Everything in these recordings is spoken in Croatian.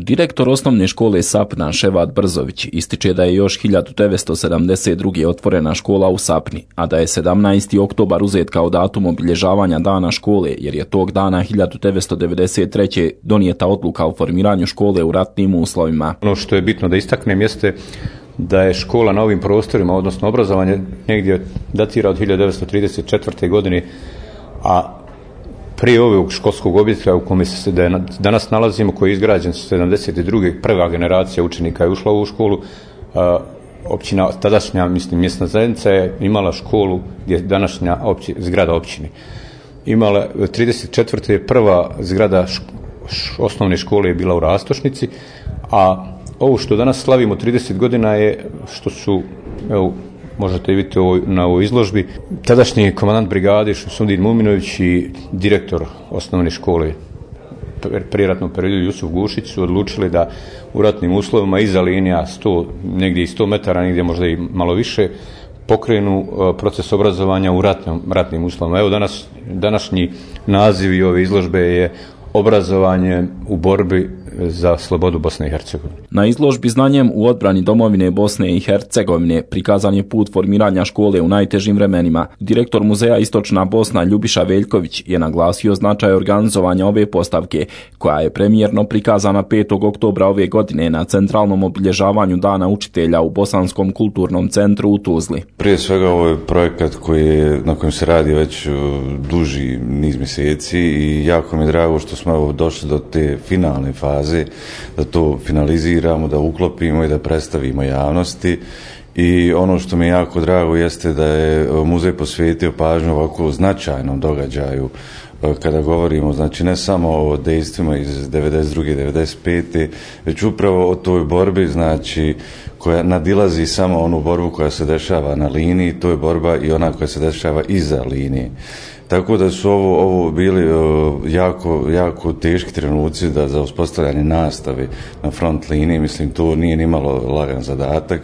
Direktor osnovne škole Sapna Ševat Brzović ističe da je još 1972. otvorena škola u Sapni, a da je 17. oktobar uzet kao datum obilježavanja dana škole, jer je tog dana 1993. donijeta odluka o formiranju škole u ratnim uslovima. Ono što je bitno da istaknem jeste da je škola na ovim prostorima, odnosno obrazovanje, negdje datira od 1934. godine, a prije ovog školskog objekta u kome se danas nalazimo, koji je izgrađen 72. prva generacija učenika je ušla u ovu školu, općina, tadašnja mjesna zajednica je imala školu gdje je današnja zgrada općine. Imala 34. je prva zgrada osnovne škole je bila u Rastošnici, a ovo što danas slavimo 30 godina je što su, evo, možete vidjeti na ovoj izložbi, tadašnji komandant brigade Šumsudin Muminović i direktor osnovne škole prijeratnog periodu Jusuf Gušić su odlučili da u ratnim uslovima iza linija 100, negdje i 100 metara, negdje možda i malo više, pokrenu proces obrazovanja u ratnim uslovima. Evo današnji naziv ove izložbe je obrazovanje u borbi za slobodu Bosne i Hercegovine. Na izložbi Znanjem u odbrani domovine Bosne i Hercegovine prikazan je put formiranja škole u najtežim vremenima. Direktor muzeja Istočna Bosna Ljubiša Veljković je naglasio značaj organizovanja ove postavke, koja je premijerno prikazana 5. oktobra ove godine na centralnom obilježavanju Dana učitelja u Bosanskom kulturnom centru u Tuzli. Prije svega ovo je projekat na kojem se radi već duži niz mjeseci i jako mi je drago što smo došli do te finalne faze, da to finaliziramo, da uklopimo i da predstavimo javnosti. I ono što mi je jako drago jeste da je muzej posvetio pažnju ovako značajnom događaju kada govorimo, znači ne samo o dejstvima iz 92. 95. već upravo o toj borbi, znači koja nadilazi samo onu borbu koja se dešava na liniji, to je borba i ona koja se dešava iza linije. Tako da su ovo bili jako teški trenuci za uspostavljanje nastave na front liniji, mislim to nije nimalo lagan zadatak.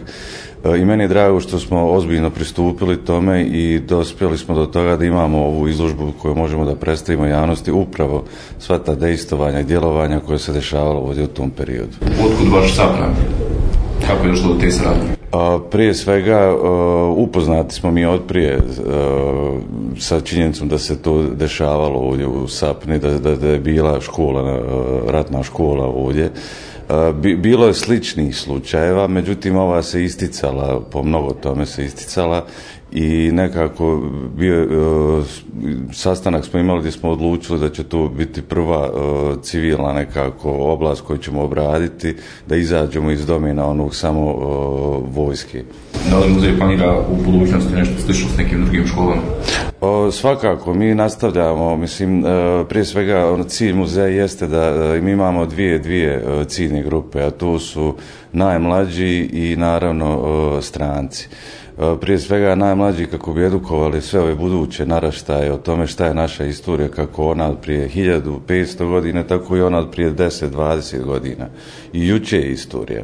I meni je drago što smo ozbiljno pristupili tome i dospjeli smo do toga da imamo ovu izložbu koju možemo da predstavimo javnosti upravo sva ta dejstvovanja i djelovanja koje se dešavalo ovdje u tom periodu. Otkud vaš Sapna? Kako je došlo do te saradnje? Prije svega upoznati smo mi otprije sa činjenicom da se to dešavalo ovdje u Sapni, da je bila škola, ratna škola ovdje. Bilo je sličnih slučajeva, međutim ova se isticala, po mnogo tome se isticala i nekako sastanak smo imali gdje smo odlučili da će to biti prva civilna nekako oblast koju ćemo obraditi, da izađemo iz domena onog samo vojske. Da li muzej planira u budućnosti nešto slično s nekim drugim školama? Svakako, mi nastavljamo, mislim, prije svega cilj muzeja jeste da mi imamo dvije ciljne grupe, a to su najmlađi i naravno stranci. Prije svega najmlađi kako bi edukovali sve ove buduće naraštaje o tome šta je naša istorija, kako ona od prije 1500 godina, tako i ona od prije 10-20 godina. I juče je istorija.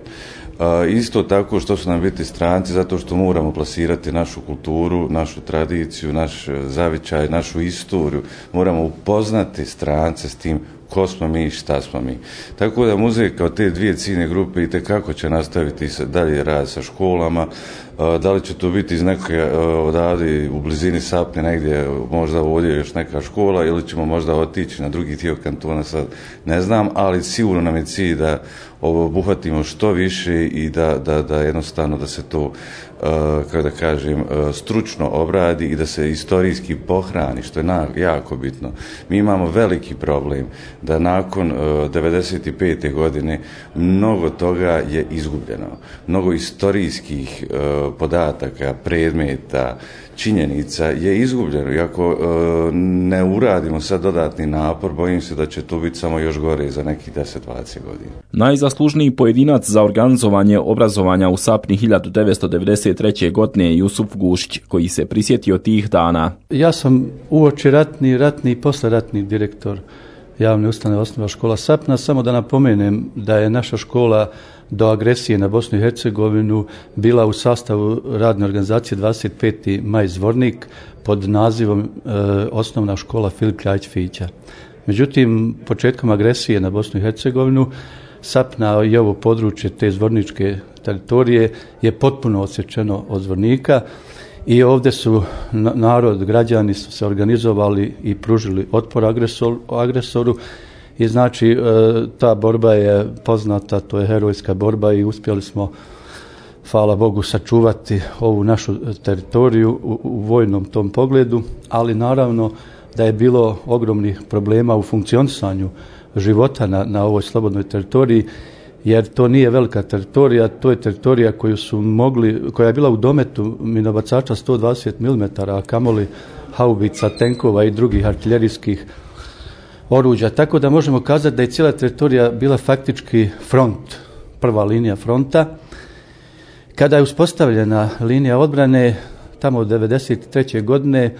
Isto tako što su nam biti stranci, zato što moramo plasirati našu kulturu, našu tradiciju, naš zavičaj, našu istoriju. Moramo upoznati strance s tim ko smo mi i šta smo mi. Tako da muzej kao te dvije ciljne grupe itekako će nastaviti dalje rad sa školama. Da li će to biti iz neke odavde u blizini Sapne negdje, možda ovdje još neka škola ili ćemo možda otići na drugi dio kantona, sad ne znam, ali sigurno nam je cilj da ovo obuhvatimo što više i da jednostavno da se to, kako da kažem, stručno obradi i da se istorijski pohrani, što je jako bitno. Mi imamo veliki problem da nakon 95. godine mnogo toga je izgubljeno. Mnogo istorijskih podataka, predmeta, činjenica je izgubljeno. I ako ne uradimo sad dodatni napor, bojim se da će to biti samo još gore za nekih 10-20 godina. Najzaslužniji pojedinac za organizovanje obrazovanja u Sapni 1993. godine je Jusuf Gušić, koji se prisjetio tih dana. Ja sam uoči ratni i posleratni direktor javne ustanove Osnovna škola Sapna. Samo da napomenem da je naša škola do agresije na Bosnu i Hercegovinu bila u sastavu radne organizacije 25. maj Zvornik pod nazivom Osnovna škola Filip Kljajić Fića. Međutim, početkom agresije na Bosnu i Hercegovinu Sapna i ovo područje te zvorničke teritorije je potpuno odsječeno od Zvornika i ovdje su narod, građani su se organizovali i pružili otpor agresoru i znači ta borba je poznata, to je herojska borba i uspjeli smo, hvala Bogu, sačuvati ovu našu teritoriju u vojnom tom pogledu, ali naravno da je bilo ogromnih problema u funkcionisanju života na ovoj slobodnoj teritoriji, jer to nije velika teritorija, to je teritorija koja je bila u dometu minobacača 120 mm, a kamoli haubica, tenkova i drugih artiljerijskih oruđa. Tako da možemo kazati da je cijela teritorija bila faktički front, prva linija fronta. Kada je uspostavljena linija odbrane, tamo od 1993. godine,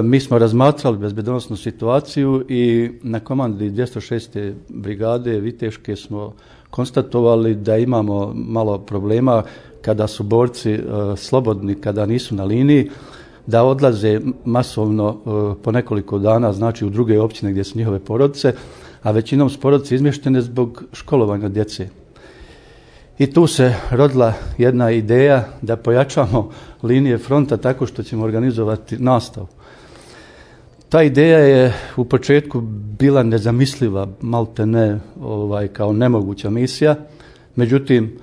mi smo razmatrali bezbednosnu situaciju i na komandi 206. brigade Viteške smo konstatovali da imamo malo problema kada su borci slobodni, kada nisu na liniji, da odlaze masovno po nekoliko dana, znači u druge općine gdje su njihove porodice, a većinom su porodice izmještene zbog školovanja djece. I tu se rodila jedna ideja da pojačamo linije fronta tako što ćemo organizovati nastavu. Ta ideja je u početku bila nezamisliva, malte ne kao nemoguća misija, međutim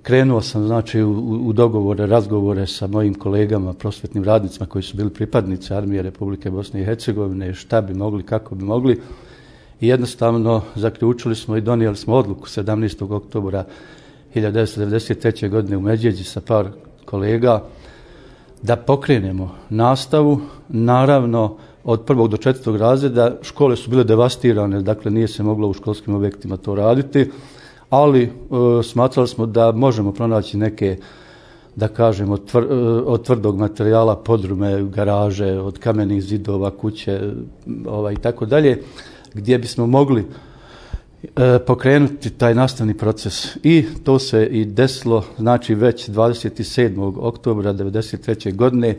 krenuo sam znači u dogovore, razgovore sa mojim kolegama, prosvetnim radnicima koji su bili pripadnici Armije Republike Bosne i Hercegovine, šta bi mogli, kako bi mogli. I jednostavno zaključili smo i donijeli smo odluku 17. oktobra 1993. godine u Međeđi sa par kolega da pokrenemo nastavu. Naravno, od 1. do 4. razreda škole su bile devastirane, dakle nije se moglo u školskim objektima to raditi, ali smatrali smo da možemo pronaći neke, da kažemo, od tvrdog materijala podrume, garaže, od kamenih zidova, kuće i tako dalje, gdje bismo mogli pokrenuti taj nastavni proces. I to se i desilo, znači već 27. oktobra 1993. godine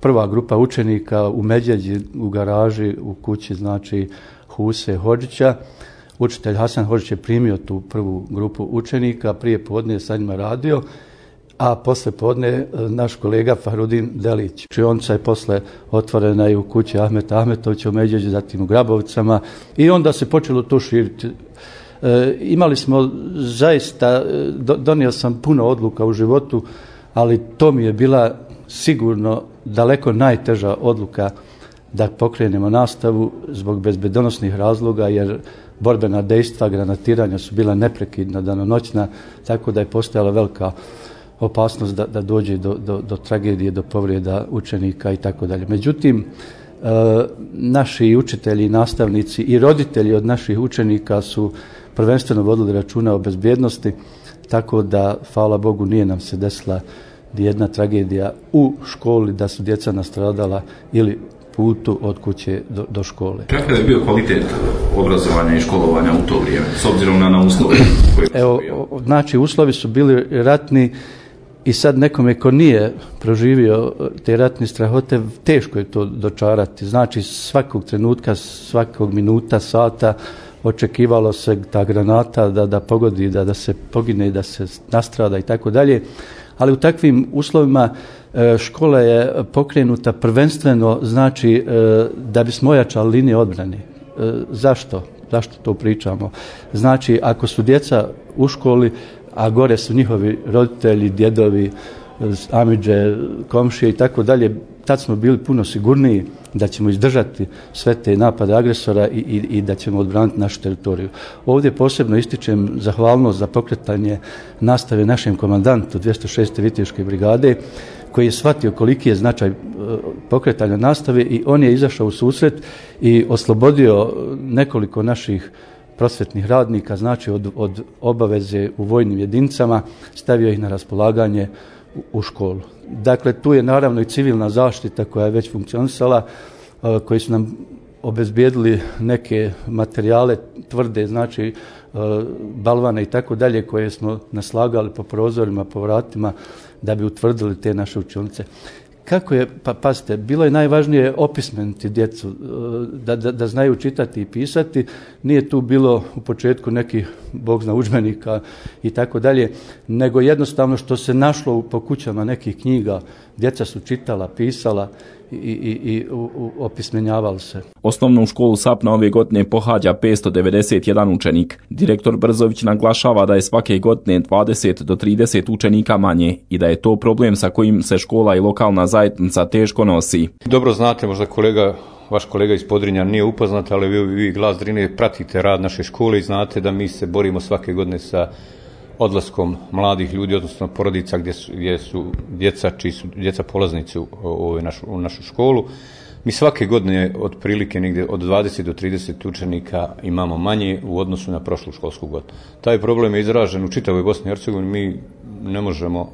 prva grupa učenika u Međeđi, u garaži, u kući, znači Huse Hodžića. Učitelj Hasan Hodžić je primio tu prvu grupu učenika, prije podne je sa njima radio, a posle podne naš kolega Fahrudin Delić. Učionica je posle otvorena i u kući Ahmeta Ahmetovića u Međeđi, zatim u Grabovcama i onda se počelo to širiti. Imali smo zaista, donio sam puno odluka u životu, ali to mi je bila sigurno daleko najteža odluka da pokrenemo nastavu zbog bezbednosnih razloga, jer borbena dejstva, granatiranja su bila neprekidna, danonoćna, tako da je postojala velika opasnost da dođe do tragedije, do povrijeda učenika i tako dalje. Međutim, naši učitelji, nastavnici i roditelji od naših učenika su prvenstveno vodili računa o bezbjednosti, tako da, hvala Bogu, nije nam se desila jedna tragedija u školi da su djeca nastradala ili putu od kuće do škole. Kakav je bio kvalitet obrazovanja i školovanja u to vrijeme, s obzirom na uslove? Znači, uslovi su bili ratni i sad nekome ko nije proživio te ratne strahote, teško je to dočarati. Znači, svakog trenutka, svakog minuta, sata očekivalo se ta granata da pogodi, da se pogine, da se nastrada i tako dalje. Ali u takvim uslovima škola je pokrenuta prvenstveno, znači, da bismo ojačali linije odbrane. Zašto to pričamo? Znači, ako su djeca u školi, a gore su njihovi roditelji, djedovi, amidže, komšije i tako dalje, tad smo bili puno sigurniji da ćemo izdržati sve te napade agresora i da ćemo odbraniti našu teritoriju. Ovdje posebno ističem zahvalnost za pokretanje nastave našem komandantu 206. Viteške brigade, koji je shvatio koliki je značaj pokretanja nastave i on je izašao u susret i oslobodio nekoliko naših prosvetnih radnika, znači od obaveze u vojnim jedinicama, stavio ih na raspolaganje u školu. Dakle, tu je naravno i civilna zaštita koja je već funkcionisala, koji su nam obezbijedili neke materijale tvrde, znači balvane i tako dalje, koje smo naslagali po prozorima, po vratima, da bi utvrdili te naše učionice. kako je, pa pazite, bilo je najvažnije opismeniti djecu, da znaju čitati i pisati. Nije tu bilo u početku nekih, Bog zna, udžbenika i tako dalje, nego jednostavno što se našlo po kućama nekih knjiga, djeca su čitala, pisala i opismenjavali se. Osnovnu školu Sapna ove godine pohađa 591 učenik. Direktor Brzović naglašava da je svake godine 20 do 30 učenika manje i da je to problem sa kojim se škola i lokalna zajednica teško nosi. Dobro znate, možda vaš kolega iz Podrinja nije upoznat, ali vi Glas Drine pratite rad naše škole i znate da mi se borimo svake godine sa odlaskom mladih ljudi, odnosno porodica gdje su djeca polaznici u našu školu. Mi svake godine otprilike negdje od 20 do 30 učenika imamo manje u odnosu na prošlu školsku godinu. Taj problem je izražen u čitavoj Bosni i Hercegovini. Mi ne možemo,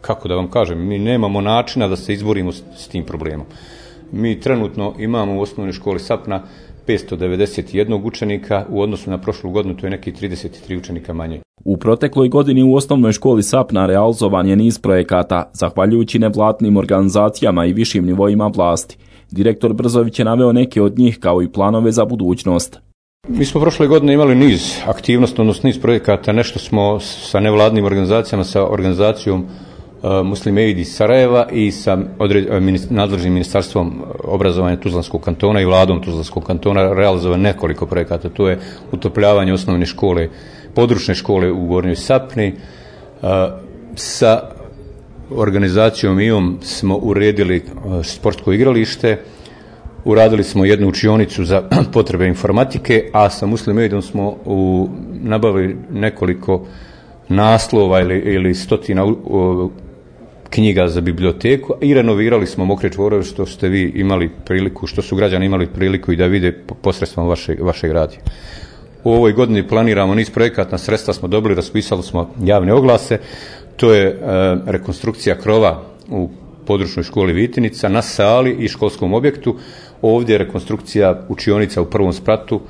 kako da vam kažem, mi nemamo načina da se izborimo s tim problemom. Mi trenutno imamo u osnovnoj školi Sapna 591 učenika, u odnosu na prošlu godinu to je neki 33 učenika manje. U protekloj godini u osnovnoj školi Sapna realizovan je niz projekata, zahvaljujući nevladnim organizacijama i višim nivoima vlasti. Direktor Brzović je naveo neke od njih kao i planove za budućnost. Mi smo prošle godine imali niz aktivnosti, odnosno niz projekata, nešto smo sa nevladnim organizacijama, sa organizacijom Muslim Aid iz Sarajeva i sa nadležnim ministarstvom obrazovanja Tuzlanskog kantona i vladom Tuzlanskog kantona realizovano nekoliko projekata. To je utopljavanje osnovne škole, područne škole u Gornjoj Sapni. Sa organizacijom IOM smo uredili sportsko igralište, uradili smo jednu učionicu za potrebe informatike, a sa Muslim Aidom smo nabavili nekoliko naslova ili stotina knjiga za biblioteku i renovirali smo mokre čvorove, što ste vi imali priliku, što su građani imali priliku i da vide posredstvom vašeg radija. U ovoj godini planiramo niz projekata, sredstva smo dobili, raspisali smo javne oglase. To je rekonstrukcija krova u područnoj školi Vitinica na sali i školskom objektu. Ovdje je rekonstrukcija učionica u prvom spratu,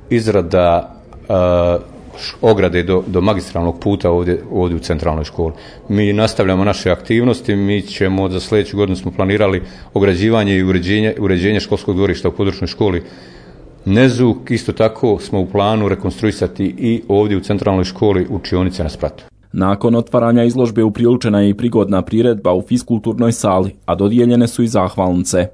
izrada ograde do magistralnog puta ovdje u centralnoj školi. Mi nastavljamo naše aktivnosti, mi ćemo za sljedeću godinu smo planirali ograđivanje i uređenje školskog dvorišta u područnoj školi Nezuk. Isto tako smo u planu rekonstruisati i ovdje u centralnoj školi učionice na spratu. Nakon otvaranja izložbe upriličena je i prigodna priredba u fiskulturnoj sali, a dodijeljene su i zahvalnice.